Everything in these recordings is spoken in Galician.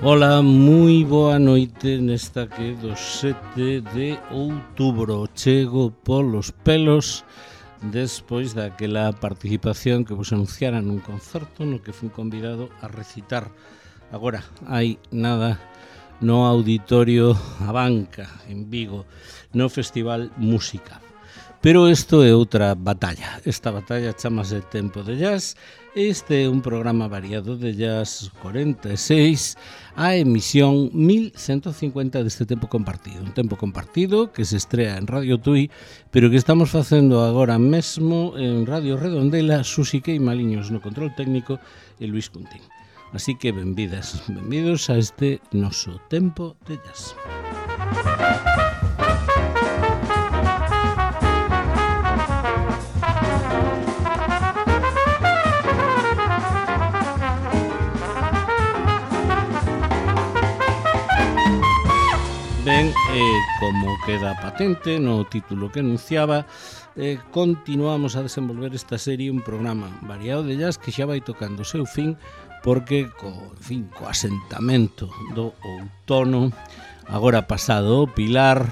Ola, moi boa noite nesta que do 7 de outubro. Chego polos pelos despois daquela participación que vos anunciara nun concerto no que fui convidado a recitar agora hai nada no Auditorio A Banca en Vigo, no Festival Música. Pero isto é outra batalla. Esta batalla chamase Tempo de Jazz. Este é un programa variado de Jazz 46, a emisión 1150 deste Tempo Compartido. Un Tempo Compartido que se estrea en Radio Tui, pero que estamos facendo agora mesmo en Radio Redondela, Susi Queimaliños no control técnico e Luis Cuntín. Así que benvidas, benvidos a este noso Tempo de Jazz. Ben, como queda patente no título que anunciaba, continuamos a desenvolver esta serie, un programa variado de jazz que xa vai tocando o seu fin, porque co asentamento do outono, agora pasado o Pilar,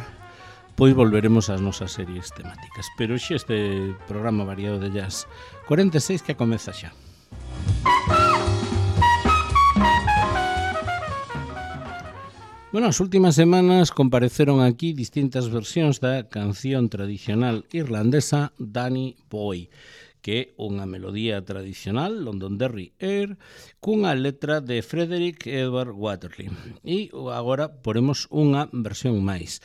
pois volveremos ás nosas series temáticas. Pero xe este programa variado de jazz 46 que comeza xa. Bueno, as últimas semanas compareceron aquí distintas versións da canción tradicional irlandesa Danny Boy, que é unha melodía tradicional, Londonderry Air, cunha letra de Frederick Edward Waterly. E agora poremos unha versión máis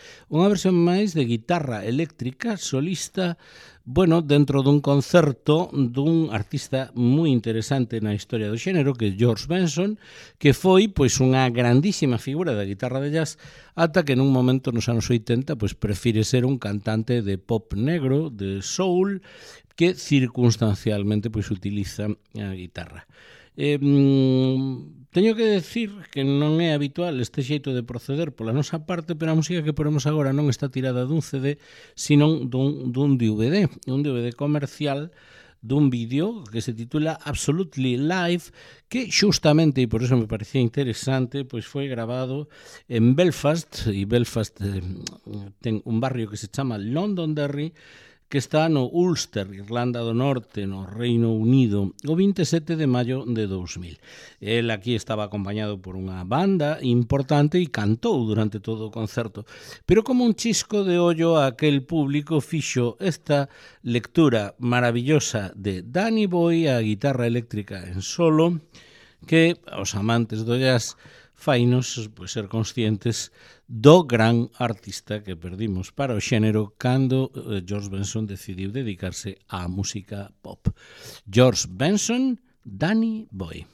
de guitarra eléctrica solista, bueno, dentro dun concerto dun artista moi interesante na historia do xénero, que é George Benson, que foi pois unha grandísima figura da guitarra de jazz, ata que nun momento nos anos 80 pois prefire ser un cantante de pop negro, de soul, que circunstancialmente pois utiliza a guitarra. Teño que decir que non é habitual este xeito de proceder pola nosa parte, pero a música que ponemos agora non está tirada dun CD, sino dun DVD, un DVD comercial dun vídeo que se titula Absolutely Live, que xustamente, e por eso me parecía interesante, pois foi grabado en Belfast, e Belfast ten un barrio que se chama Londonderry, que está no Ulster, Irlanda do Norte, no Reino Unido, o 27 de maio de 2000. El aquí estaba acompañado por unha banda importante e cantou durante todo o concerto. Pero como un chisco de ollo a aquel público fixo esta lectura maravillosa de Danny Boy, a guitarra eléctrica en solo, que aos amantes do jazz fainos pois, ser conscientes do gran artista que perdimos para o xénero cando George Benson decidiu dedicarse á música pop. George Benson, Danny Boy.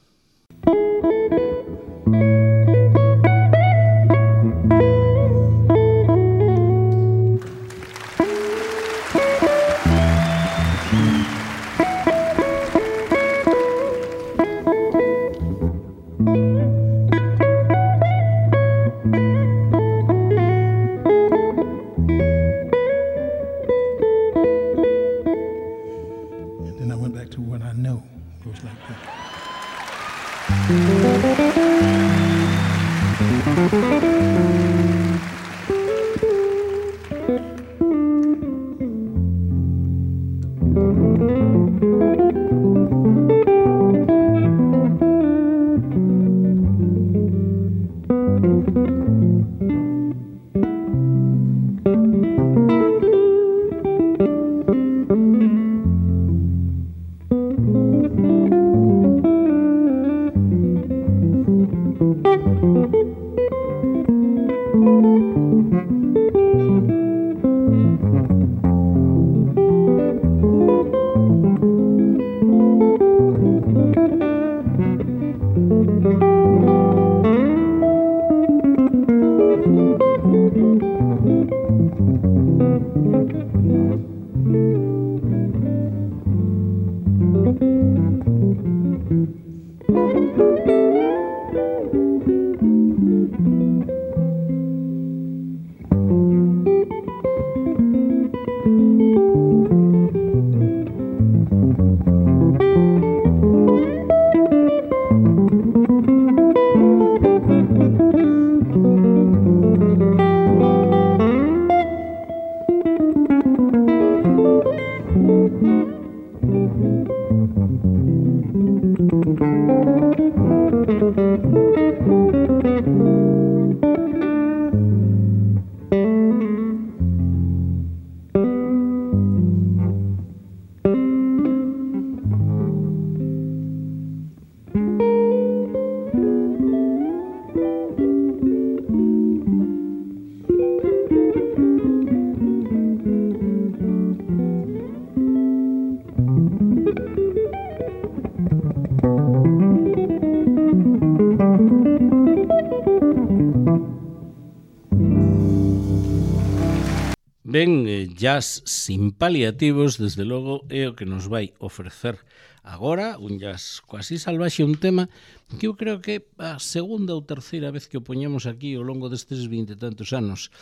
Ben, jazz sin paliativos, desde logo, é o que nos vai ofrecer agora, un jazz quasi salvaxe, un tema que eu creo que a segunda ou terceira vez que o poñemos aquí ao longo destes 20 e tantos anos.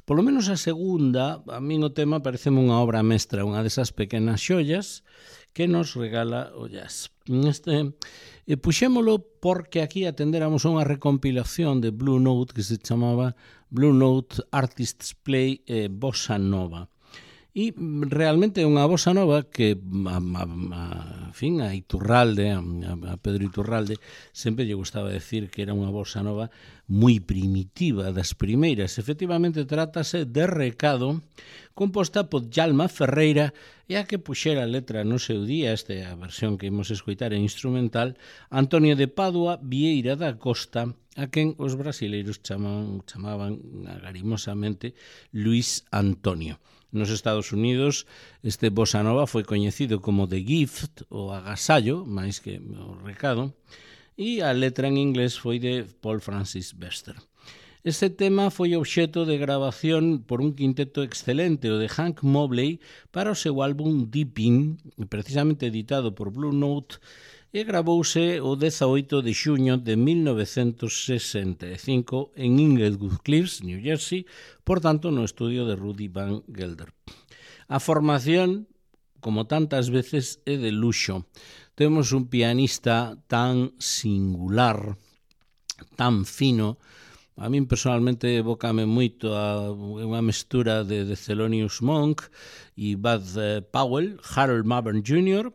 Polo menos a segunda, a min o tema pareceme unha obra mestra, unha desas pequenas xollas que nos regala o jazz. Puxémolo porque aquí atendéramos a unha recompilación de Blue Note que se chamaba Blue Note Artists Play Bossa Nova. E realmente é unha bossa nova que a Iturralde, a Pedro Iturralde, sempre lle gustaba decir que era unha bossa nova moi primitiva, das primeiras. Efectivamente, trátase de Recado, composta por Djalma Ferreira, e a que puxera a letra no seu día, esta é a versión que imos escoitar en instrumental, Antonio de Padua Vieira da Costa, a quen os brasileiros chamaban agarimosamente Luis Antonio. Nos Estados Unidos, este bossa nova foi coñecido como The Gift, o agasallo, máis que o recado, e a letra en inglés foi de Paul Francis Bester. Este tema foi obxeto de grabación por un quinteto excelente, o de Hank Mobley, para o seu álbum Deepin, precisamente editado por Blue Note, e gravouse o 18 de xuño de 1965 en Inglewood Cliffs, New Jersey, por tanto no estudio de Rudy Van Gelder. A formación, como tantas veces, é de luxo. Temos un pianista tan singular, tan fino. A min personalmente evócame moito a unha mestura de Thelonious Monk e Bud Powell, Harold Mavern Jr.,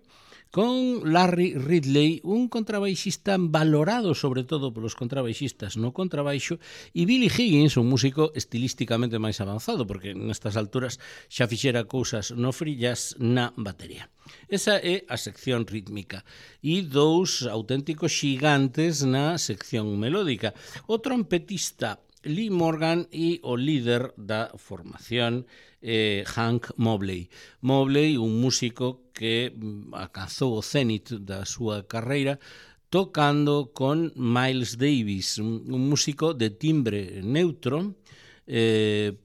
con Larry Ridley, un contrabaixista valorado sobre todo polos contrabaixistas no contrabaixo, e Billy Higgins, un músico estilísticamente máis avanzado, porque nestas alturas xa fixera cousas no free jazz na batería. Esa é a sección rítmica e dous auténticos xigantes na sección melódica. O trompetista Lee Morgan e o líder da formación Hank Mobley. Mobley, un músico que alcanzou o cenit da súa carreira tocando con Miles Davis, un músico de timbre neutro,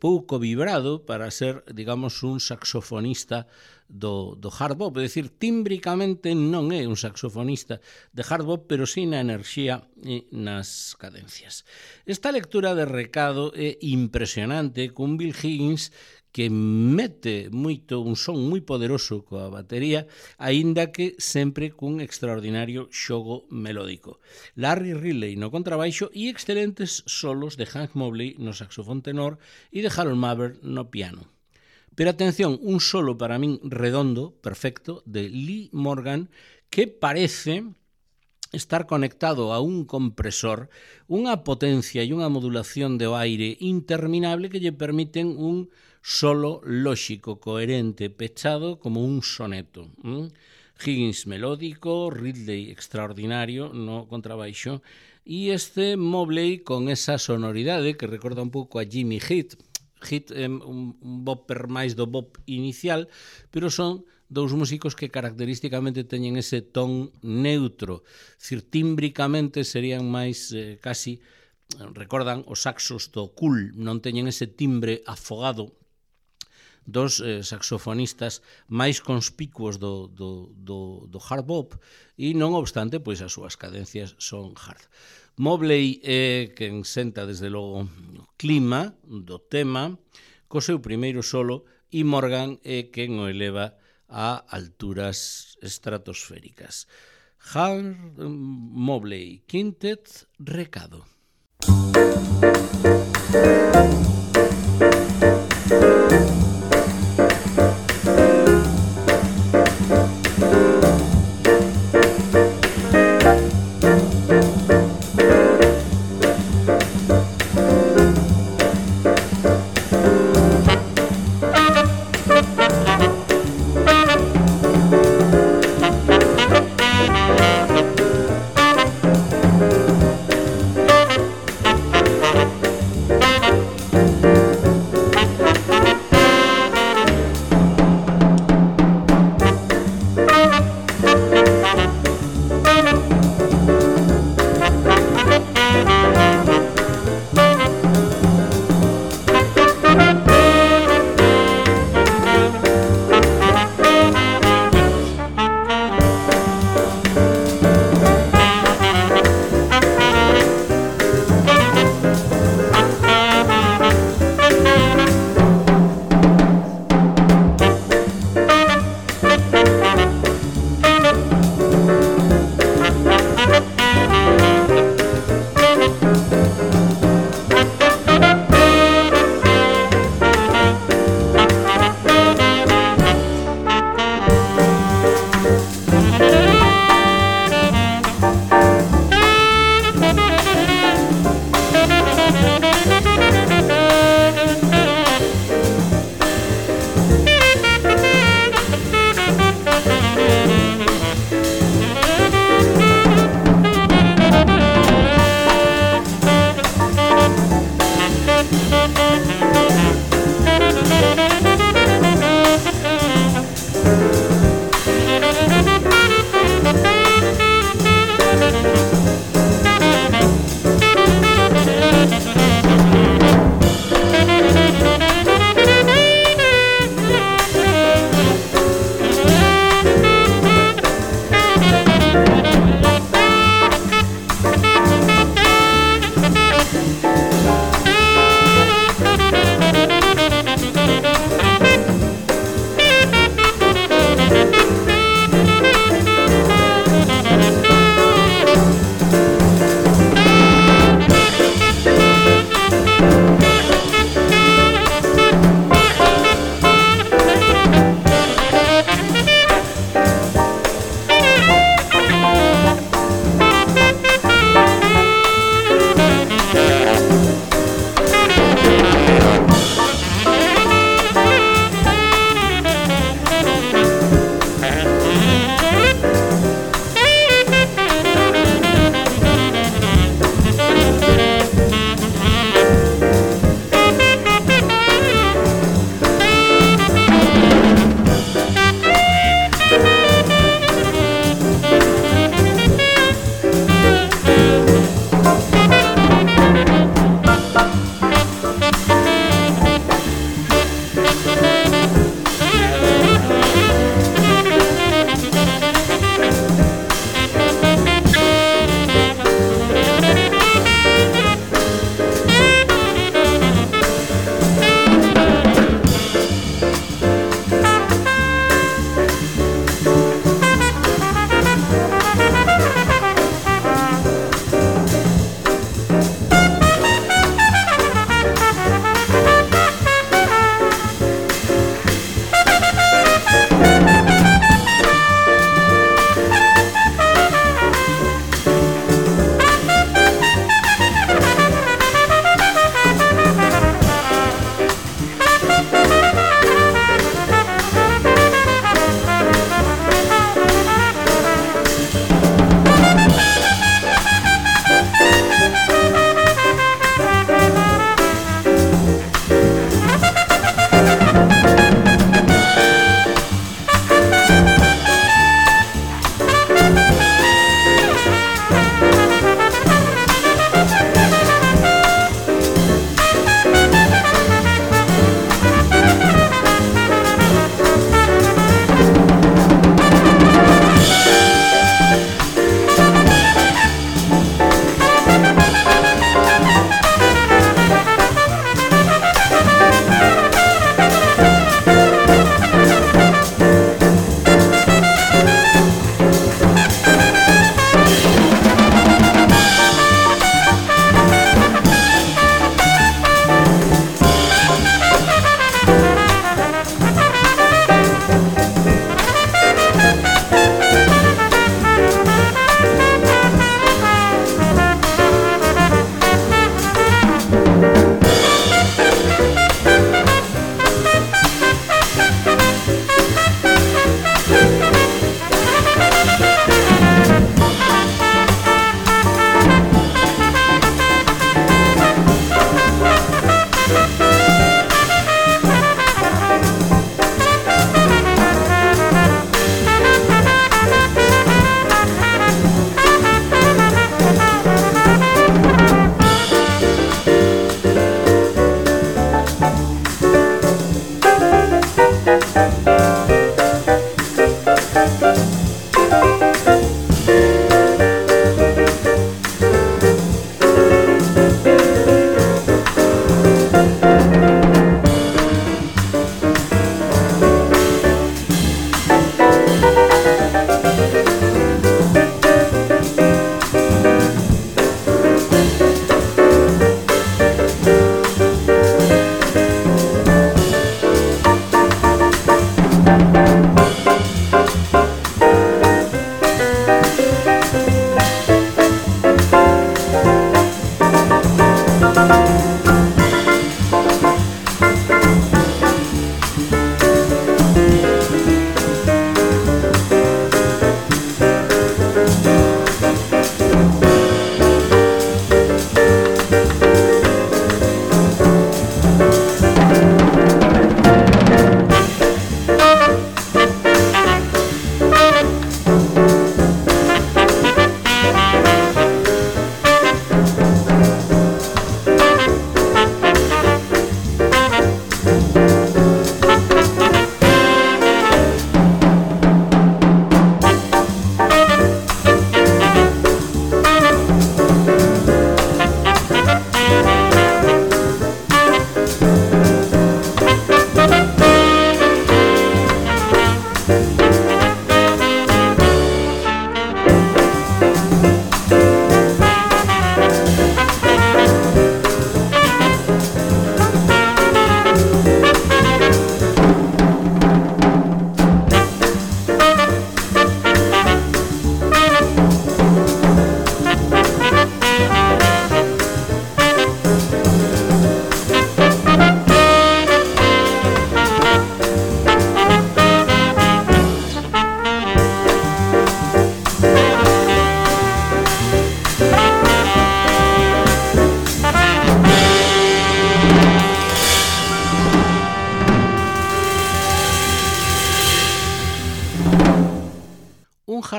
pouco vibrado para ser, digamos, un saxofonista do hard bop, é dicir, tímbricamente non é un saxofonista de hard bop, pero sí na enerxía e nas cadencias. Esta lectura de Recado é impresionante, con Bill Higgins que mete moito un son moi poderoso coa batería, aínda que sempre cun extraordinario xogo melódico. Larry Ridley no contrabaixo e excelentes solos de Hank Mobley no saxofón tenor e de Harold Mavern no piano. Pero atención, un solo para min redondo, perfecto, de Lee Morgan, que parece estar conectado a un compresor, unha potencia e unha modulación de aire interminable que lle permiten un solo lóxico, coherente, pechado como un soneto. Higgins melódico, Ridley extraordinario no contrabaixo e este Mobley con esa sonoridade que recorda un pouco a Jimmy Heath. Heath é un bopper máis do bop inicial, pero son dous músicos que característicamente teñen ese ton neutro, tímbricamente serían máis casi, recordan os saxos do cool, non teñen ese timbre afogado dos saxofonistas máis conspicuos do hard bop e non obstante, pois as súas cadencias son hard. Mobley é quen senta desde logo o clima do tema co seu primeiro solo e Morgan é quen o eleva a alturas estratosféricas. Hank Mobley Quintet, Recado.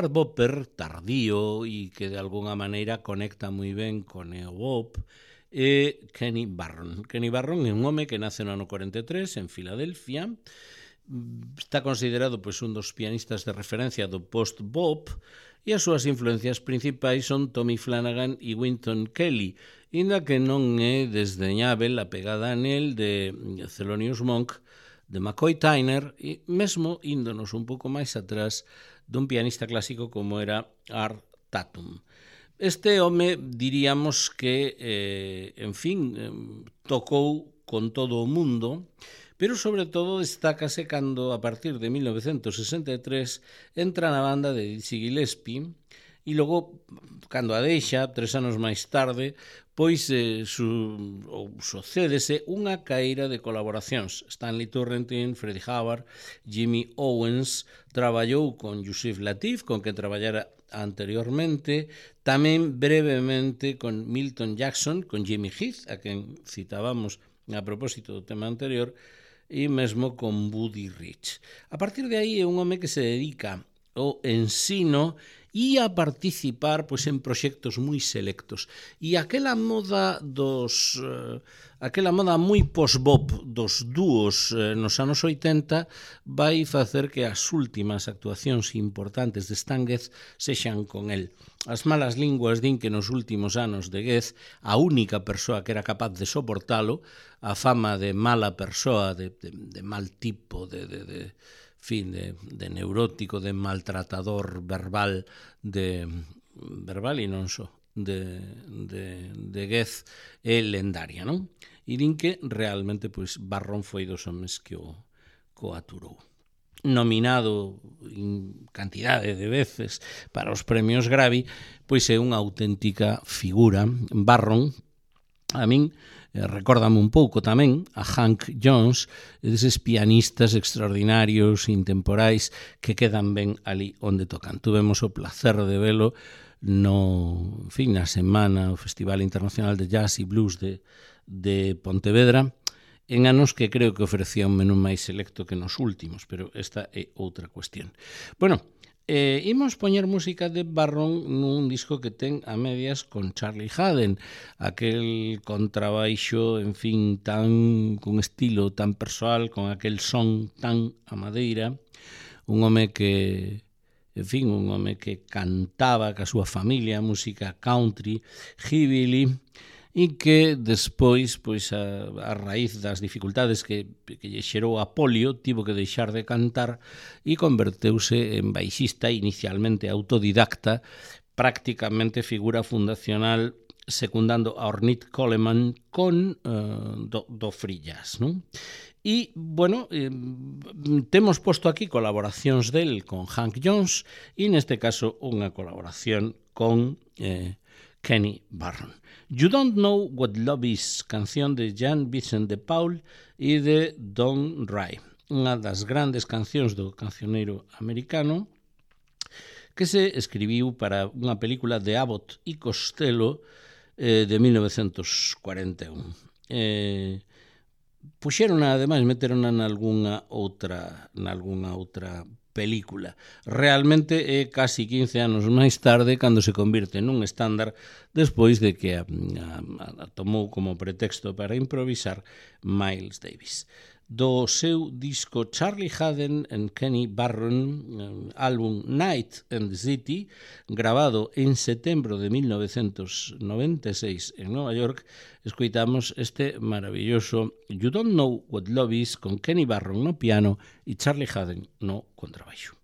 hard bopper tardío e que de alguna maneira conecta moi ben con neobop é Kenny Barron. Kenny Barron é un home que nace no ano 43 en Filadelfia. Está considerado pois, un dos pianistas de referencia do post-bop e as súas influencias principais son Tommy Flanagan e Wynton Kelly, inda que non é desdeñável a pegada nel de Thelonious Monk, de McCoy Tyner e mesmo índonos un pouco máis atrás dun pianista clásico como era Art Tatum. Este home diríamos que, en fin, tocou con todo o mundo, pero sobre todo destácase cando a partir de 1963 entra na banda de Dizzy Gillespie e logo, cando a deixa, 3 anos máis tarde, pois sucédese unha caíra de colaboracións. Stanley Turrentine, Freddie Hubbard, Jimmy Owens, traballou con Yusuf Lateef, con quen traballara anteriormente, tamén brevemente con Milton Jackson, con Jimmy Heath, a quen citábamos a propósito do tema anterior, e mesmo con Buddy Rich. A partir de aí é un home que se dedica ao ensino e a participar pois, en proxectos moi selectos. E aquela moda moi post-bop dos dúos nos anos 80 vai facer que as últimas actuacións importantes de Stan Getz sexan con el. As malas linguas din que nos últimos anos de Getz a única persoa que era capaz de soportalo, a fama de mala persoa, de mal tipo, de neurótico, de maltratador verbal, verbal e non só, de Getz é lendaria, non? E din que realmente pois, Barron foi dos homes que o aturou. Nominado en cantidade de veces para os premios Grammy, pois é unha auténtica figura. Barron, a min, recórdame un pouco tamén a Hank Jones, deses pianistas extraordinarios, intemporais, que quedan ben ali onde tocan. Tuvemos o placer de velo na semana, o Festival Internacional de Jazz e Blues de Pontevedra, en anos que creo que ofrecía un menú máis selecto que nos últimos, pero esta é outra cuestión. Bueno, imos poñer música de Barron nun disco que ten a medias con Charlie Haden, aquel contrabaixo, en fin, con estilo tan persoal, con aquel son tan a madeira, un home que cantaba ca súa familia, música country, hillbilly, e que despois, pois a raíz das dificultades que lle xerou a polio, tivo que deixar de cantar e converteuse en baixista, inicialmente autodidacta, prácticamente figura fundacional secundando a Ornette Coleman con do free jazz, non? E, bueno, temos posto aquí colaboracións del con Hank Jones e neste caso unha colaboración con Kenny Barron. You Don't Know What Love Is, canción de Jan Vincent de Paul e de Don Ray, unha das grandes cancións do cancioneiro americano que se escribiu para unha película de Abbott e Costello de 1941. Puxérona, ademais, meterona nalgúnha outra película. Realmente é casi 15 anos máis tarde cando se convirte nun estándar despois de que a tomou como pretexto para improvisar Miles Davis. Do seu disco Charlie Haden and Kenny Barron, álbum Night and the City, grabado en setembro de 1996 en Nova York, escoitamos este maravilloso You Don't Know What Love Is con Kenny Barron no piano e Charlie Haden no contrabaixo.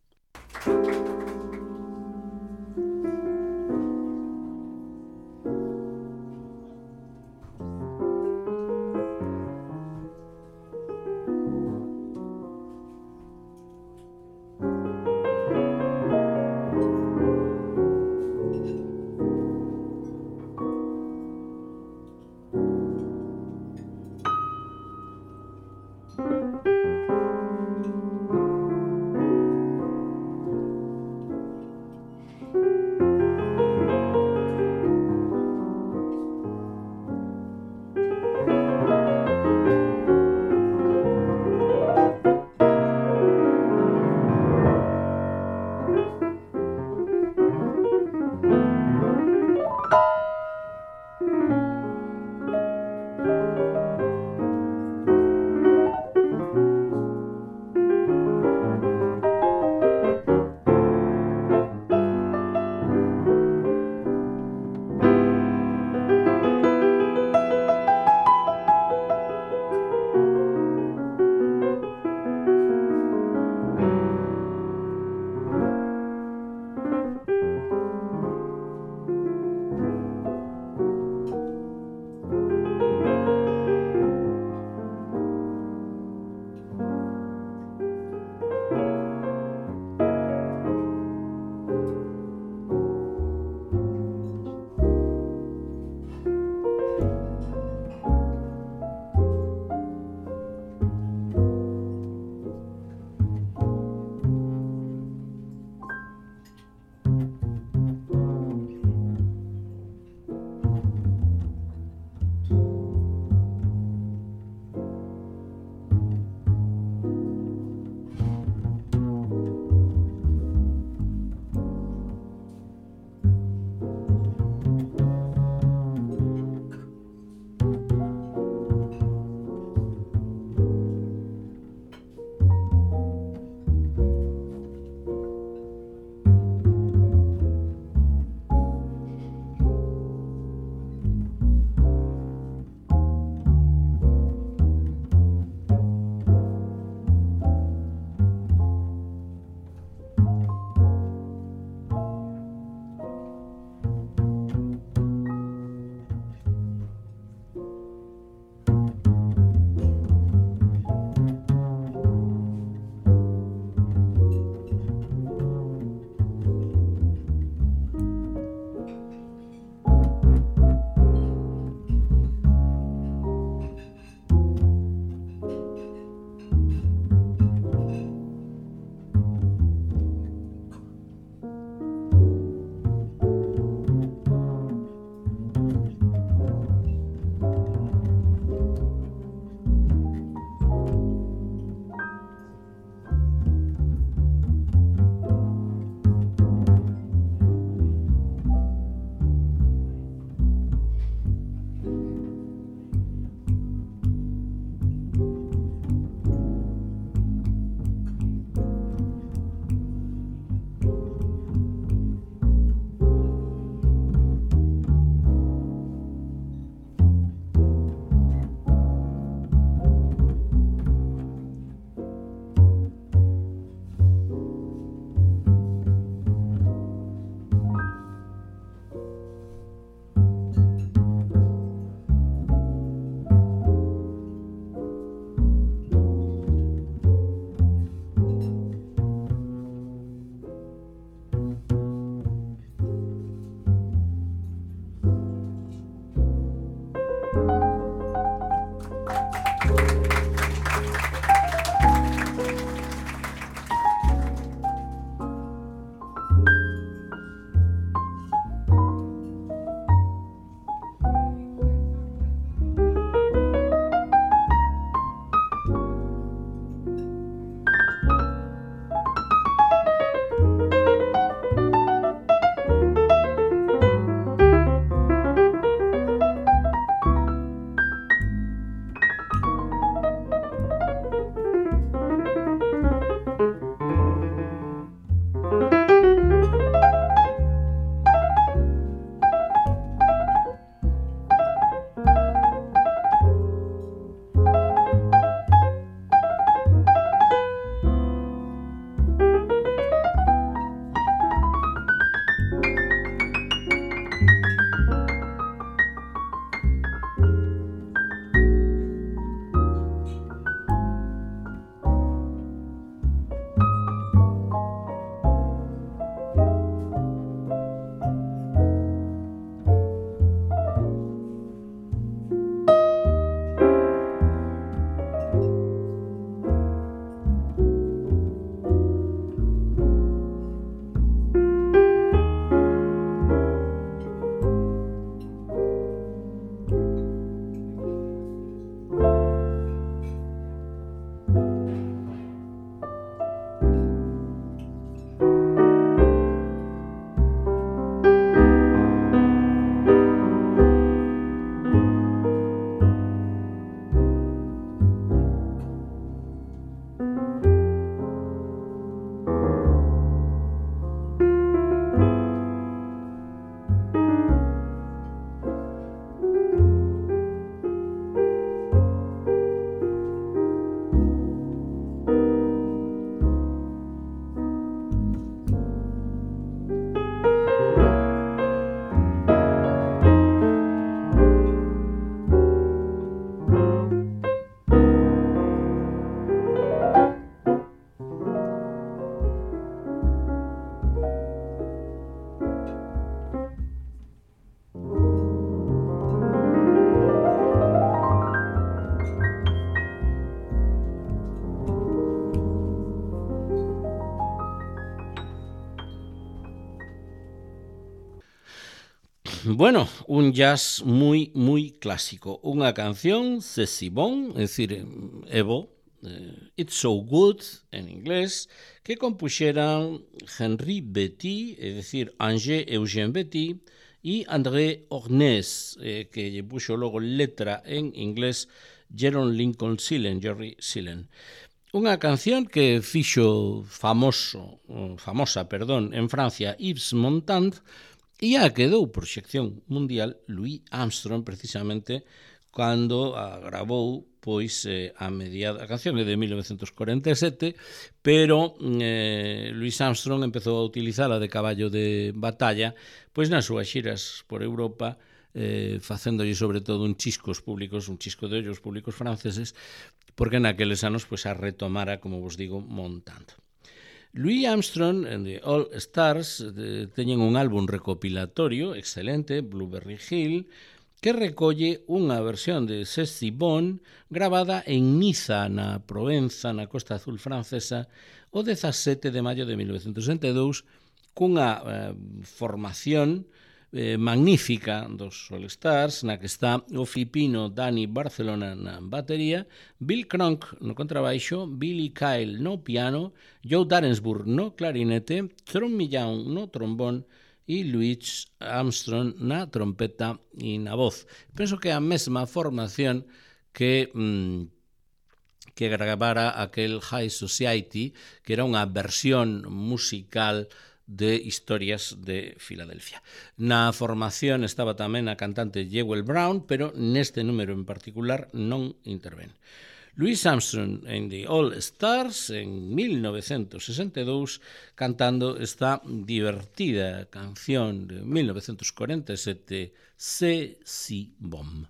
Bueno, un jazz moi clásico. Unha canción, C'est si bon, é dicir, Evo, It's so good, en inglés, que compuxeran Henri Betty, é dicir, Angers-Eugène Betty, e André Ornez, que lle puxo logo letra en inglés Jerome Lincoln Sillen, Jerry Sillen. Unha canción que fixo famosa, en Francia, Yves Montand, e a quedou proxección mundial Louis Armstrong, precisamente, cando a gravou, pois, a canción é de 1947, pero Louis Armstrong empezou a utilizala de caballo de batalla, pois nas súas xiras por Europa, facéndolle sobre todo un chisco de ollos públicos franceses, porque naqueles anos pois a retomara, como vos digo, Montand. Louis Armstrong and the All Stars teñen un álbum recopilatorio excelente, Blueberry Hill, que recolle unha versión de C'est si bon gravada en Niza, na Provenza, na Costa Azul francesa, o 17 de maio de 1962, cunha formación magnífica dos All Stars, na que está o filipino Danny Barcelona na batería, Bill Cronk no contrabaixo, Billy Kyle no piano, Joe Darensbourg no clarinete, Tom Millán no trombón e Louis Armstrong na trompeta e na voz. Penso que é a mesma formación que gravara aquel High Society, que era unha versión musical de Historias de Filadelfia. Na formación estaba tamén a cantante Jewel Brown, pero neste número en particular non intervén. Louis Armstrong and the All Stars en 1962 cantando esta divertida canción de 1947, C'est si bon.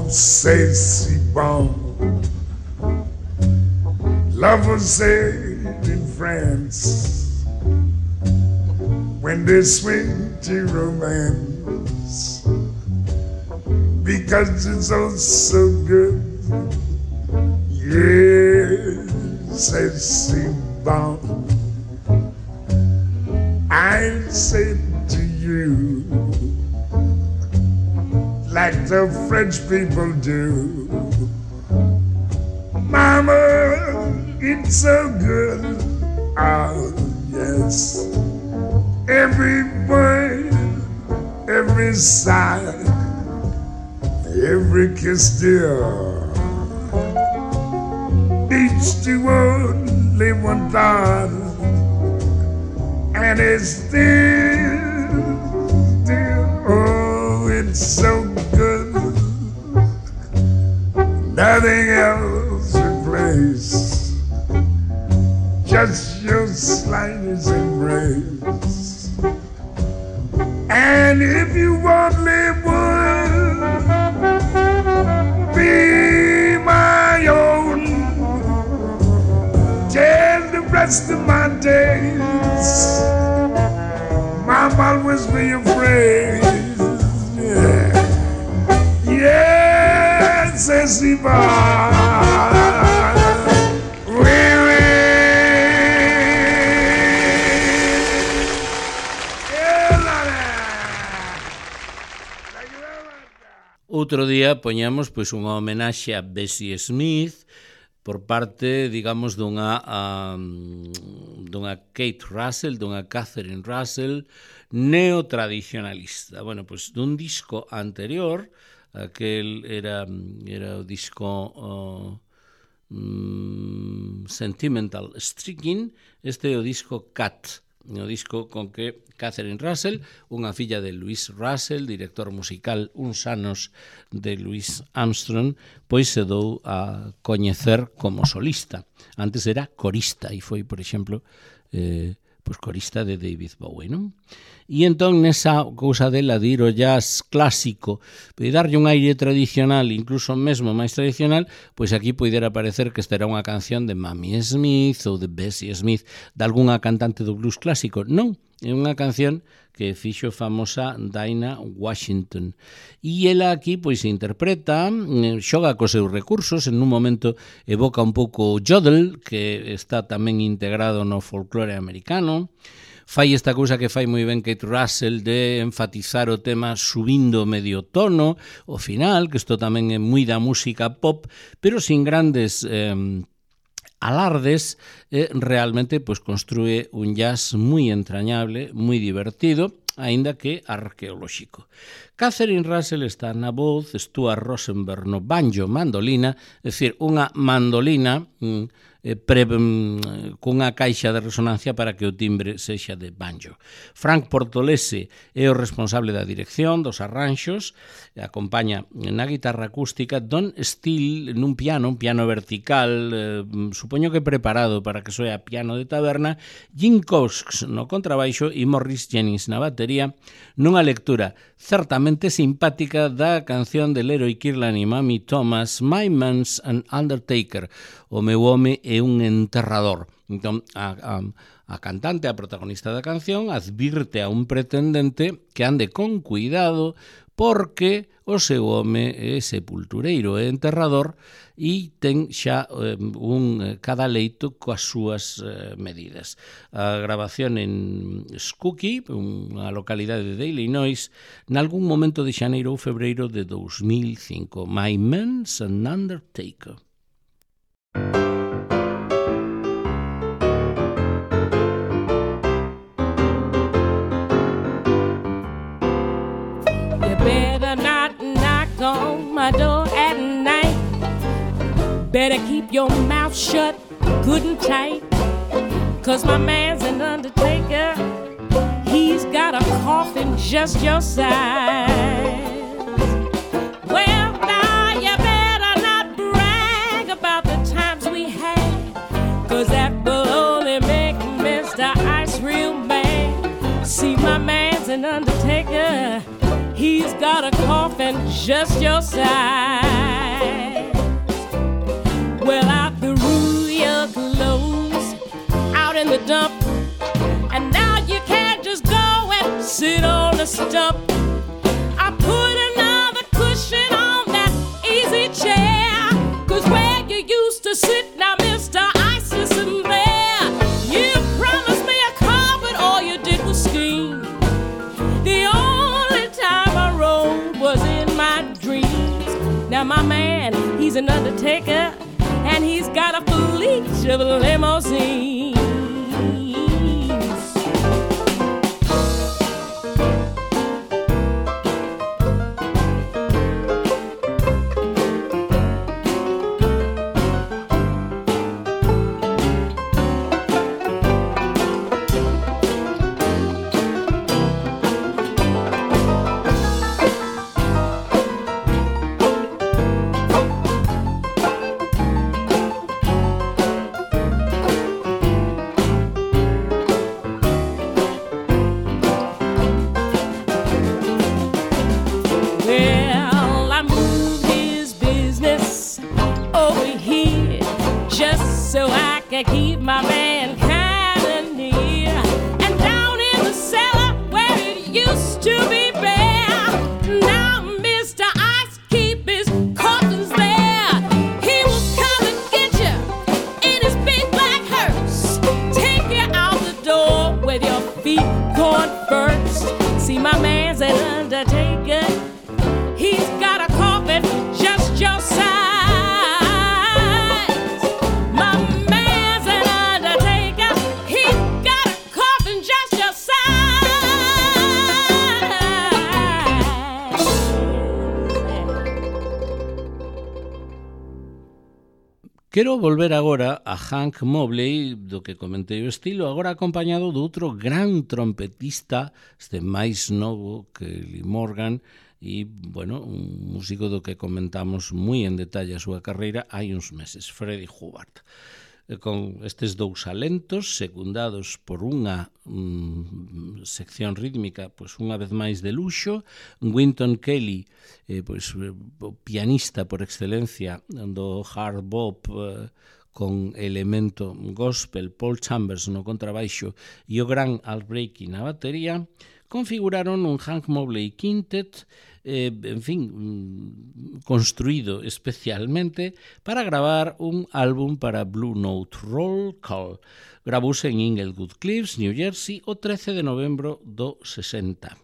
C'est si bon. Lovers say in France when they swing to romance, because it's all so good. Yes, c'est si bon. I say to you, like the French people do, Mama, it's so good. Oh, yes. Every word, every sigh, every kiss, dear, each to only one thought, and it's still, oh, it's so good. Nothing else replaces just your slightest embrace. says he va. Outro día poñamos pois unha homenaxe a Bessie Smith por parte, digamos, dunha Kate Russell, dunha Catherine Russell neotradicionalista. Bueno, pois dun disco anterior, aquel era o disco Sentimental Striking, este é o disco Cat, o disco con que Catherine Russell, unha filla de Louis Russell, director musical uns anos de Louis Armstrong, pois se dou a coñecer como solista. Antes era corista e foi, por exemplo, pois corista de David Bowie, non? E entón nesa cousa dela de ir ao jazz clásico e darlle un aire tradicional, incluso mesmo máis tradicional, pois aquí poidera parecer que esta era unha canción de Mamie Smith ou de Bessie Smith, de algunha cantante do blues clásico. Non, é unha canción que fixo famosa Dinah Washington. E ela aquí pois interpreta, xoga cos seus recursos, en un momento evoca un pouco o yodel, que está tamén integrado no folclore americano. Fai esta cousa que fai moi ben Kate Russell de enfatizar o tema subindo medio tono, o final, que isto tamén é moi da música pop, pero sin grandes alardes, realmente pois construe un jazz moi entrañable, moi divertido, aínda que arqueolóxico. Catherine Russell está na voz, Stuart Rosenberg no banjo mandolina, é dicir, unha mandolina cunha caixa de resonancia para que o timbre sexa de banjo. Frank Portolese é o responsable da dirección, dos arranxos, acompaña na guitarra acústica Don Steele nun piano, un piano vertical, supoño que preparado para que soe a piano de taberna, Jim Cox no contrabaixo e Morris Jennings na batería, nunha lectura certamente simpática da canción de Leroy Kirlan e Mamie Thomas, My Man's an Undertaker, o meu home é un enterrador. Entón, a cantante, a protagonista da canción, advirte a un pretendente que ande con cuidado porque o seu home é sepultureiro e enterrador e ten xa un cadaleito coas súas medidas. A grabación en Skokie, unha localidade de Illinois, nalgún momento de xaneiro ou febreiro de 2005. My Man's an Undertaker. Better not knock on my door at night. Better keep your mouth shut good and tight. 'Cause my man's an undertaker. He's got a coffin just your size. Well, now you better not brag about the times we had, 'cause that will only make Mr. Ice real mad. See, my man's an undertaker. He's got a coffin just your size. Well, out the rule your clothes out in the dump, and now you can't just go and sit on the stump. I put another cushion on that easy chair, 'cause where you used to sit now, Mr. Ice isn't there. You promised me a carpet, all you did was scheme. The only time I rode was in my dreams. Now my man, he's an undertaker, and he's got a fleet of limousines. Keep my man kinda near, and down in the cellar where it used to be bare, now Mr. Ice keep his coffins there. Quero volver agora a Hank Mobley, do que comentei o estilo, agora acompañado do outro gran trompetista, este máis novo que Lee Morgan, e, bueno, un músico do que comentamos moi en detalle a súa carreira hai uns meses, Freddie Hubbard. Con estes dous alentos, secundados por unha sección rítmica, pois unha vez máis de luxo, Wynton Kelly, pois o pianista por excelencia do hard bop, con elemento gospel, Paul Chambers no contrabaixo e o gran Al Breaky na batería, configuraron un Hank Mobley Quintet, en fin, construído especialmente para gravar un álbum para Blue Note Roll Call. Gravouse en Inglewood Cliffs, New Jersey, o 13 de novembro do 60.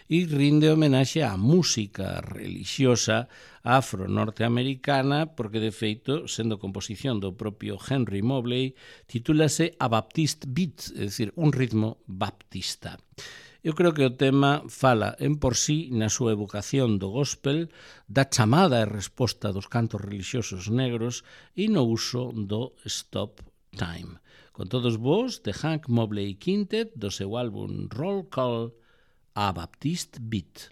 E rinde homenaxe á música religiosa afro-norteamericana, porque, de feito, sendo composición do propio Henry Mobley, titúlase A Baptist Beat, é dicir, un ritmo baptista. Eu creo que o tema fala en por sí na súa evocación do gospel, da chamada e resposta dos cantos religiosos negros e no uso do stop time. Con todos vos, de Hank Mobley Quintet, do seu álbum Roll Call, A Baptist Beat.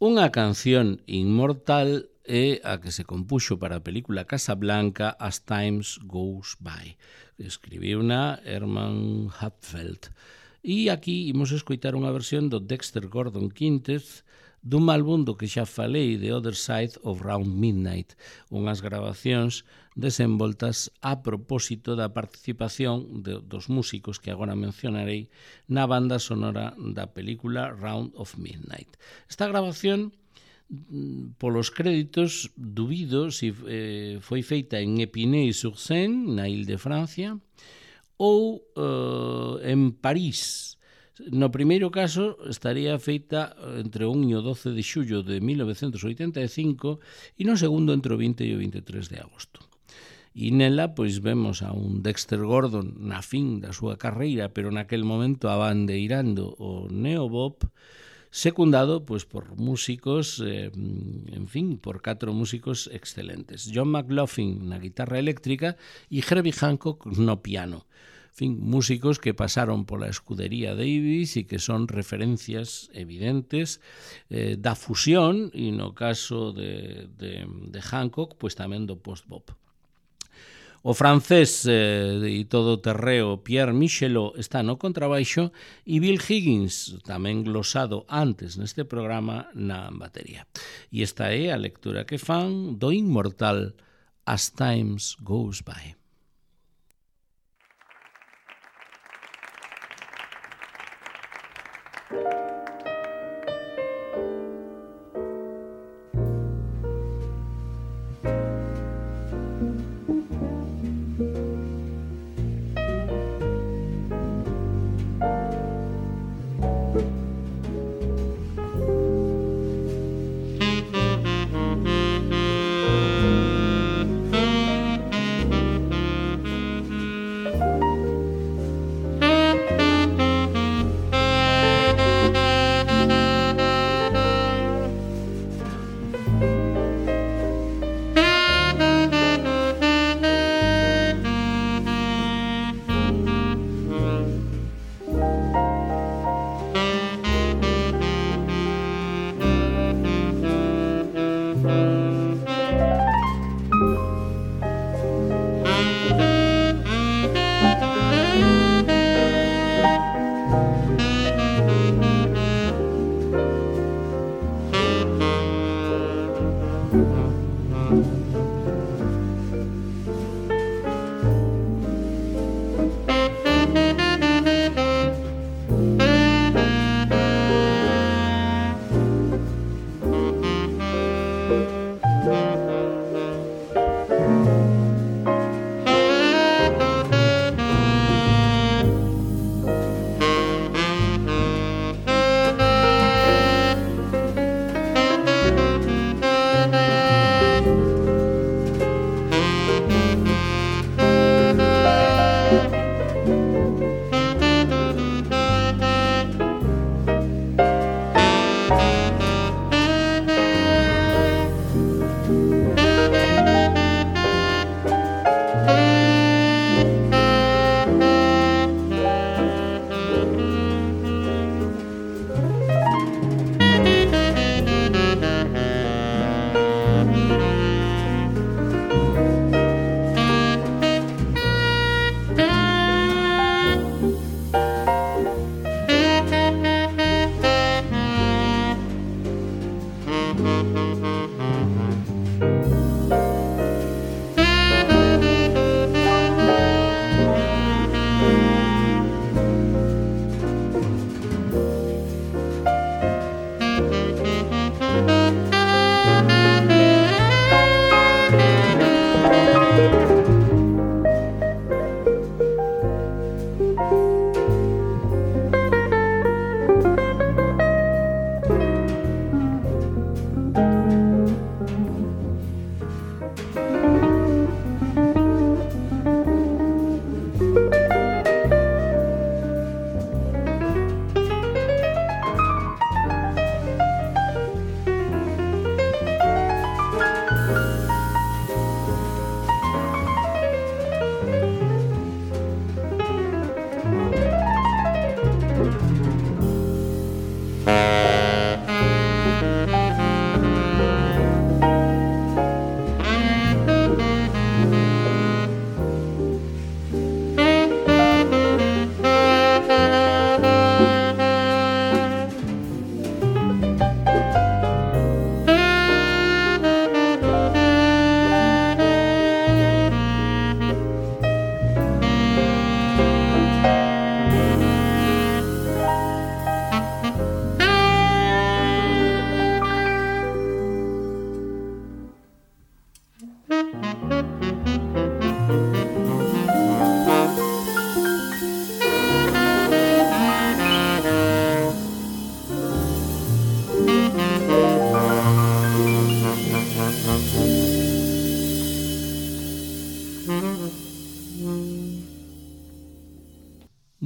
Unha canción inmortal é a que se compuxo para a película Casablanca As Times Goes By. Escribiuna Herman Hupfeld. E aquí imos escoitar unha versión do Dexter Gordon Quintez dun álbum do que xa falei, The Other Side of Round Midnight, unhas grabacións desenvoltas a propósito da participación dos músicos que agora mencionarei na banda sonora da película Round of Midnight. Esta grabación, polos créditos, dubido se foi feita en Épinay-sur-Seine, na Ile de Francia, ou en París. No primeiro caso estaría feita entre o 1 e o 12 de xullo de 1985 e no segundo entre o 20 e o 23 de agosto. E nela pois vemos a un Dexter Gordon na fin da súa carreira, pero naquel momento abandeirando o neobop, secundado pois por músicos, en fin, por 4 músicos excelentes. John McLaughlin na guitarra eléctrica e Herbie Hancock no piano. En fin, músicos que pasaron pola escudería Davis e que son referencias evidentes da fusión e no caso de Hancock, pois tamén do post-bop. O francés e todo terreo Pierre Michelot está no contrabaixo e Bill Higgins, tamén glosado antes neste programa, na batería. E esta é a lectura que fan do inmortal As Times Goes By.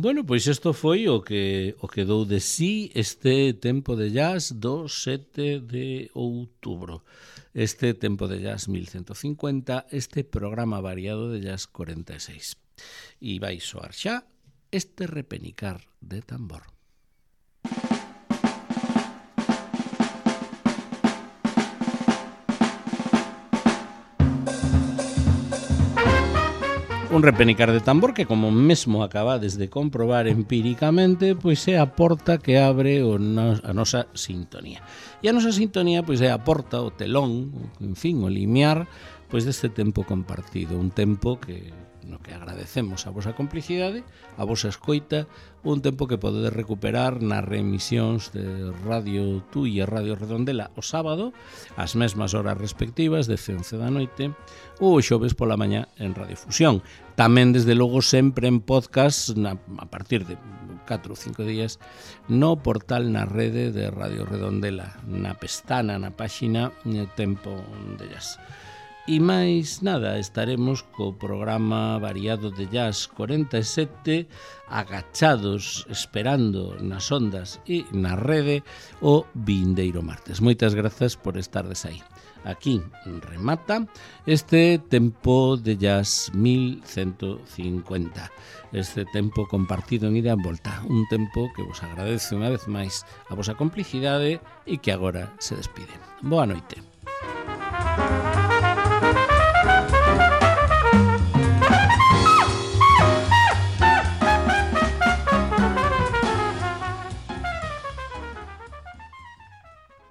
Bueno, pois isto foi o que dou de sí este tempo de jazz do 7 de outubro. Este tempo de jazz 1150, este programa variado de jazz 46. E vai soar xa este repenicar de tambor. Un repenicar de tambor que, como mesmo acabades de comprobar empíricamente, pois é a porta que abre a nosa sintonía. E a nosa sintonía pois é a porta, o telón, en fin, o limiar pois deste tempo compartido, un tempo no que agradecemos a vosa complicidade, a vosa escoita, un tempo que podedes recuperar nas reemisións de Radio Tui e Radio Redondela o sábado, ás mesmas horas respectivas, de 11 da noite, ou o xoves pola mañá en Radio Fusión. Tamén, desde logo, sempre en podcast, a partir de 4 ou 5 días, no portal na rede de Radio Redondela, na pestana, na páxina Tempo de Jazz. E máis nada, estaremos co programa variado de Jazz 47 agachados, esperando nas ondas e na rede o vindeiro martes. Moitas grazas por estardes aí. Aquí remata este tempo de Jazz 1150. Este tempo compartido en ida e en volta. Un tempo que vos agradece unha vez máis a vosa complicidade e que agora se despide. Boa noite.